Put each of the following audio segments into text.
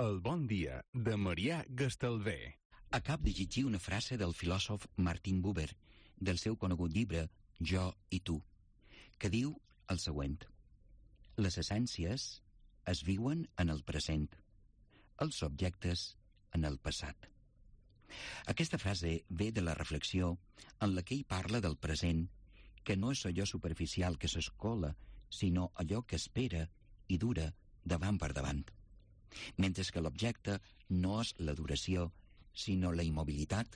El bon dia de Marià Gastalver. Acab de llegir una frase del filòsof Martin Buber, del seu conegut llibre Jo i tu, que diu el següent: les essències es viuen en el present, els objectes en el passat. Aquesta frase ve de la reflexió en la que ell parla del present, que no és allò superficial que s'escola, sinó allò que espera i dura davant per davant. Mentre que l'objecte no és la duració, sinó la immobilitat,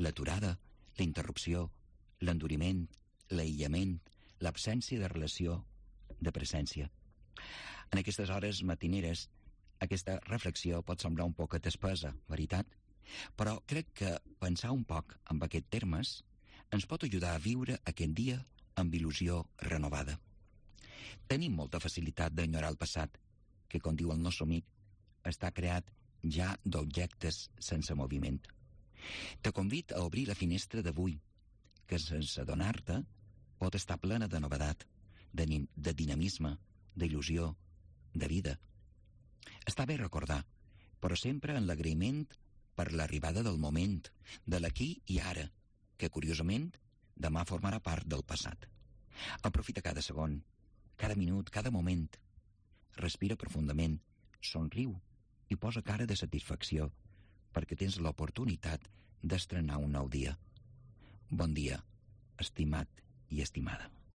l'aturada, la interrupció, l'enduriment, l'aïllament, l'absència de relació, de presència. En aquestes hores matineres, aquesta reflexió pot semblar un poquet espesa, veritat? Però crec que pensar un poc en aquests termes ens pot ajudar a viure aquest dia amb il·lusió renovada. Tenim molta facilitat d'enyorar el passat, que, com diu el nostre amic, està creat ja d'objectes sense moviment. Te convido a obrir la finestra d'avui, que sense adonar-te pot estar plena de novedat, de dinamisme, d'il·lusió, de vida. Està bé recordar, però sempre en l'agraïment per l'arribada del moment, de l'aquí i ara, que curiosament demà formarà part del passat. Aprofita cada segon, cada minut, cada moment. Respira profundament, somriu i posa cara de satisfacció perquè tens l'oportunitat d'estrenar un nou dia. Bon dia, estimat i estimada.